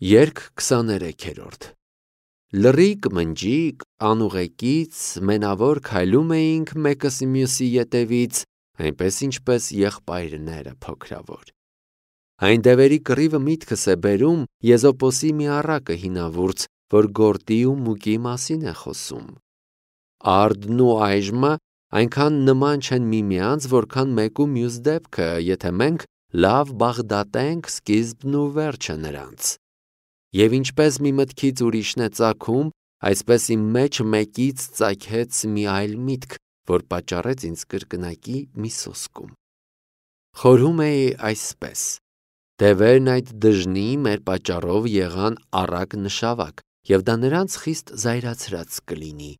Երգ 23-րդ Լռիկ, մնջիկ, անուղեկից, մենավոր քայլում էինք մեկս մյուսի ետևից, այնպես ինչպես եղբայրները փոքրավոր։ Այն դևերի կռիվը միտքս է բերում Եզոպոսի մի առակը հինավուրց, որ գորտի ու մուկի մասին է խոսում։ Արդն ու այժմը այնքան նման չեն միմյանց, որքան մեկ ու մյուս դեպքը, եթե մենք լավ բաղդատենք սկիզբն ու վերջը նրանց։ Եվ ինչպես մի մտքից ուրիշն է ծագում, այսպես իմ մեջ մեկից ծագեց մի այլ միտք, որ պատճառեց ինձ կրկնակի մի սոսկում։ Խորհում էի այսպես. դևերն այդ դժնի մեր պատճառով եղան առակ նշավակ, և դա նրանց խիստ զայրացրած կլինի։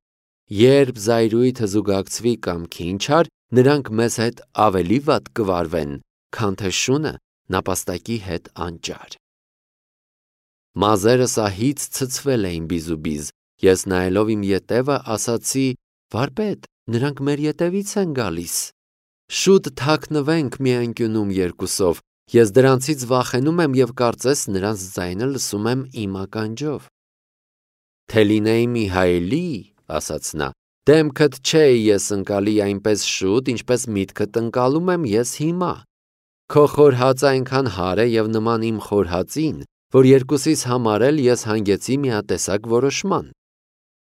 Երբ զայրույթը զուգակցվի կամքին չար, նրանք մեզ հետ ավելի վատ կվարվեն, քան թե շունը նապաստակի հետ անճար։ Մազերս ահից ցցվել էին բիզուբիզ, ես նայելով իմ ետևը ասացի. վարպետ, նրանք մեր ետևից են գալիս։ Շուտ թաքնվենք մի անկյունում երկուսով, ես դրանցից վախենում եմ և կարծես նրանց ձայնը լսում եմ իմ ականջով։ Թե լինեի Միհայելի, ասաց նա, դեմքդ չէի ես ընկալի այնպես շուտ, ինչպես միտքդ ընկալում եմ ես հիմա։ Քո խորհածը այնքան հարը և նման իմ խորհածին, որ երկուսիս համար էլ ես հանգեցի միատեսակ որոշման։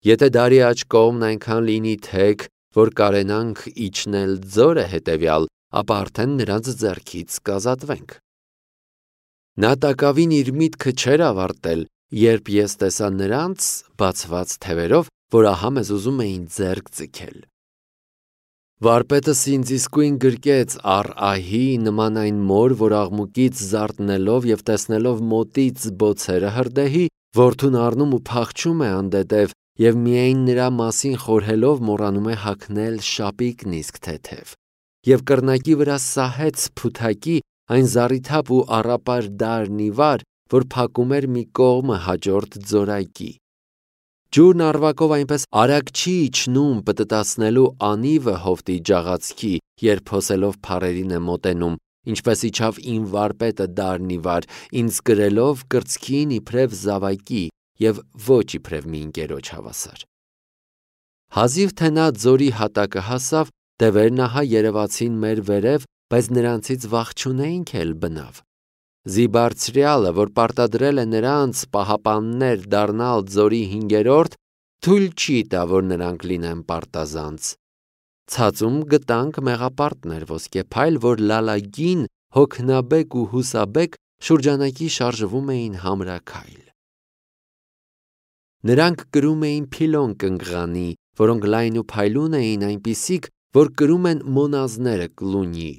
Եթե դարի աջ կողմն այնքան լինի թեք, որ կարենանք իջնել ձորը հետևյալ, ապա արդեն նրանց ձեռքից կազատվենք։ Նա տակավին իր միտքը չէր ավարտել, երբ ես տեսա նրանց բացված թևերով, որ ահա մեզ ուզում էին ձեռք ձգել։ Վարպետս ինձ իսկույն գրկեց առ ահի, նման այն մոր, որ աղմուկից զարթնելով և տեսնելով մոտից բոցերը հրդեհի, որդուն առնում ու փախչում է անդեդև և միայն նրա մասին խորհելով մոռանում է հագնել շապիկն իսկ թեթև, և կռնակի վրա սահեց փութակի այն զառիթափ ու առապար դարն ի վար, որ փակում էր մի կողմը հաջորդ ձորայքի։ Ջուրն առվակով այնպես արագ չի իջնում պտտացնելու անիվը հովտի ջաղացքի, երբ հոսելով փարերին է մոտենում, ինչպես իջավ իմ վարպետը դարն ի վար, ինձ կրելով կրծքին իբրև զավակի և ոչ իբրև մի ընկերոջ հավասար։ Հազիվ թե նա ձորի հատակը հասավ, դևերն ահա երևացին մեր վերև, բայց նրանցից վախ չունեինք էլ բնավ։ Զիբարձրյալը, որ պարտադրել է նրանց պահապաններ դառնալ ձորի հինգերորդ, թույլ չի տա, որ նրանք լինեն պարտազանց։ Ցածում գտանք մեղապարտներ ոսկեփայլ, որ լալագին, հոգնաբեկ ու հուսաբեկ շուրջանակի շարժվում էին համրաքայլ։ Նրանք կրում էին փիլոն կնգղանի, որոնք լայն ու փայլուն էին այնպիսիք, որ կրում են մոնազները կլունի։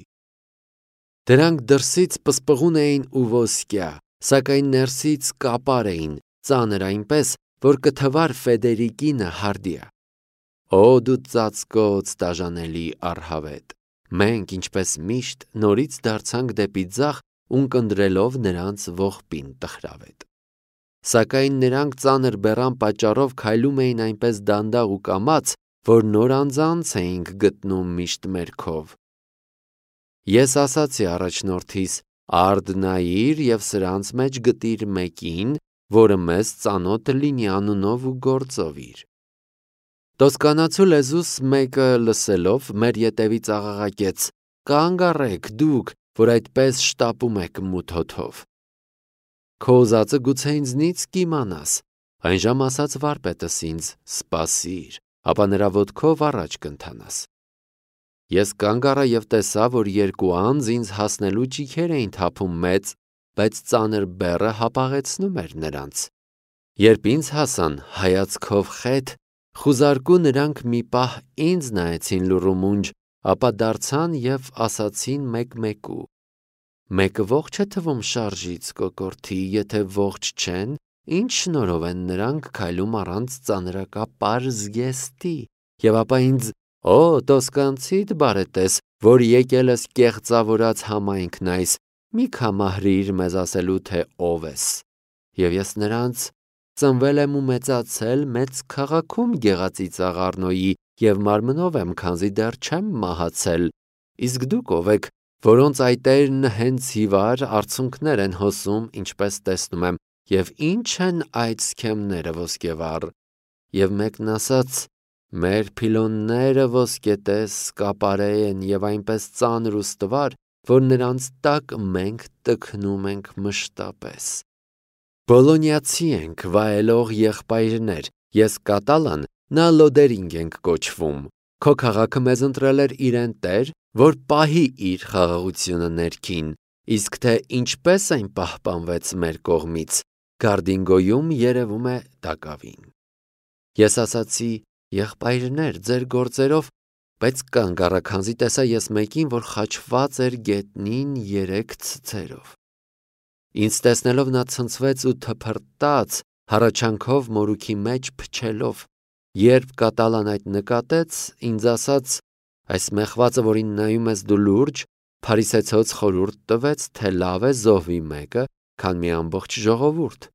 Դրանք դրսից պսպղուն էին ու ոսկյա, սակայն ներսից կապար էին, ծանր այնպես, որ կթվար Ֆեդերիկինը հարդիա։ Օ դու ծածկոց տաժանելի առհավետ, մենք, ինչպես միշտ, նորից դարձանք դեպի ձախ, ունկնդրելով նրանց ողբին տխրավետ։ Սակայն նրանք ծանր բեռան պատճառով քայլում էին այնպես դանդաղ ու կամաց, որ նոր անձանց էինք գտնում միշտ մերքով։ Ես ասացի առաջնորդիս. արդ նայիր և սրանց մեջ գտիր մեկին, որը մեզ ծանոթ լինի անունով ու գործով իր։ Տոսկանացու լեզուս մեկը լսելով մեր ետևից աղաղակեց. կանգ առեք դուք, որ այդպես շտապում եք մութ հոթով։ Քո ուզածը գուցե ինձնից կիմանաս, այն ժամ ասաց վարպետս ինձ. սպասիր, ապա նրա ոտքով առաջ կընթանաս։ Ես կանգ առա և տեսա, որ երկու անձ ինձ հասնելու ճիգեր էին թափում մեծ, բայց ծանր բեռը հապաղեցնում էր նրանց։ Երբ ինձ հասան հայացքով խետ, խուզարկու նրանք մի պահ ինձ նայեցին լուռումունջ, ապա դարձան և ասացին մեկ-մեկու. մեկը ողջ է թվում շարժից կոկորդի, եթե ողջ չեն, ինչ շնորհով են նրանք քայլում առանց ծանրակապար զգեստի, և ապա ինձ. Օ տոսկանցիդ բարետես, որ եկել ես կեղծավորած համայնքն այս, մի կամահրիր մեզ ասելու, թե ով ես։ Եվ ես նրանց. ծնվել եմ ու մեծացել մեծ քաղաքում գեղածի ծաղարնոյի և մարմնով եմ, քանզի դեռ չեմ մահացել, իսկ դուք ով եք, որոնց այտերն հենց հիվար արցունքներ են հոսում, ինչպես տեսնում եմ, և ինչ են այդ սքեմները ոսկևառ, և մեկն ասաց. մեր փիլոնները ոսկետես կապարե են և այնպես ծանր ու ստվար, որ նրանց տակ մենք տքնում ենք մշտապես։ Բոլոնիացի ենք, վայելող եղբայրներ, ես Կատալան, նա Լոդերինգ ենք կոչվում։ Քո քաղաքը մեզ ընտրել էր իրեն տեր, որ պահի իր խաղաղությունը ներքին, իսկ թե ինչպես այն պահպանվեց մեր կողմից, Գարդինգոյում երևում է տակավին։ Ես ասացի. եղբայրներ, ձեր գործերով, բայց կանգ առա, քանզի տեսա ես մեկին, որ խաչված էր գետնին 3 ցցերով։ Ինձ տեսնելով նա ցնցվեց ու թփրտաց, հառաչանքով մորուքի մեջ փչելով։ Երբ Կատալան այդ նկատեց, ինձ ասաց. այս մեղվածը, որին նայում ես դու լուրջ, փարիսեցոց խորհուրդ տվեց, թե լավ է զոհվի մեկը, քան մի ամբողջ ժողովուրդ։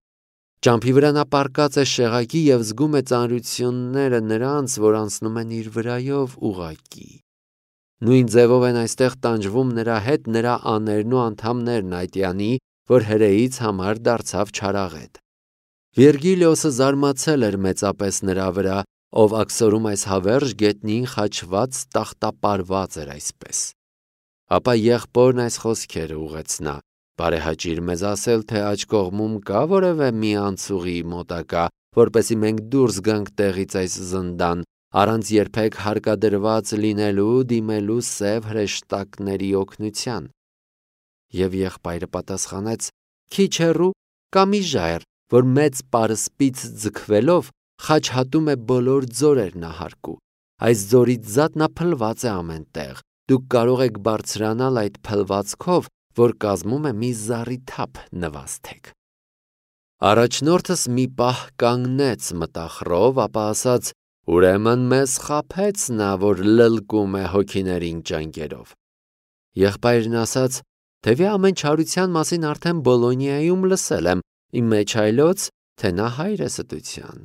Ճամփի վրա նա պառկած է շեղակի և զգում է ծանրությունները նրանց, որ անցնում են իր վրայով ուղղակի։ Նույն ձևով են այստեղ տանջվում նրա հետ նրա աներն ու անդամներն այտյանի, որ հրեից համար դարձավ չարաղետ։ Վիրգիլիոսը զարմացել էր մեծապես նրա վրա, ով աքսորում այս հավերժ գետնին խաչված տախտապարված էր այսպես։ Ապա եղբորն այս խոսքերը ուղղեցնա. բարեհաճիր մեզ ասել, թե աջ կողմում կա որևէ մի անցուղի մոտակա, որպեսզի մենք դուրս գանք տեղից այս զնդան, առանց երբեք հարկադրված լինելու դիմելու սև հրեշտակների օգնության։ Եվ եղբայրը պատասխանեց. քիչ հեռու կա մի ժայռ, որ մեծ պարսպից ձգվելով խաչհատում է բոլոր ձորերն ահարկու։ Այս ձորից զատ նա փլված է ամեն տեղ։ Դուք կարող եք բարձրանալ այդ փլվածքով, որ կազմում է մի զառիթափ նվազթեք։ Առաջնորդս մի պահ կանգնեց մտախռով, ապա ասաց. ուրեմն մեզ խաբեց նա, որ լլկում է հոգիներին ճանկերով։ Եղբայրն ասաց. թևի ամեն չարության մասին արդեն Բոլոնիայում լսել եմ, իմ մեջ այլոց, թե նա հայր է ստության։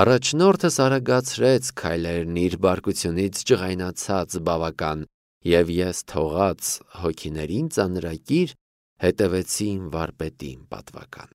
Առաջնորդս արագացրեց քայլերն իր բարկությունից ջղայնացած բավական, և ես թողած հոգիներին ծանրակիր հետևեցի իմ վարպետին պատվական։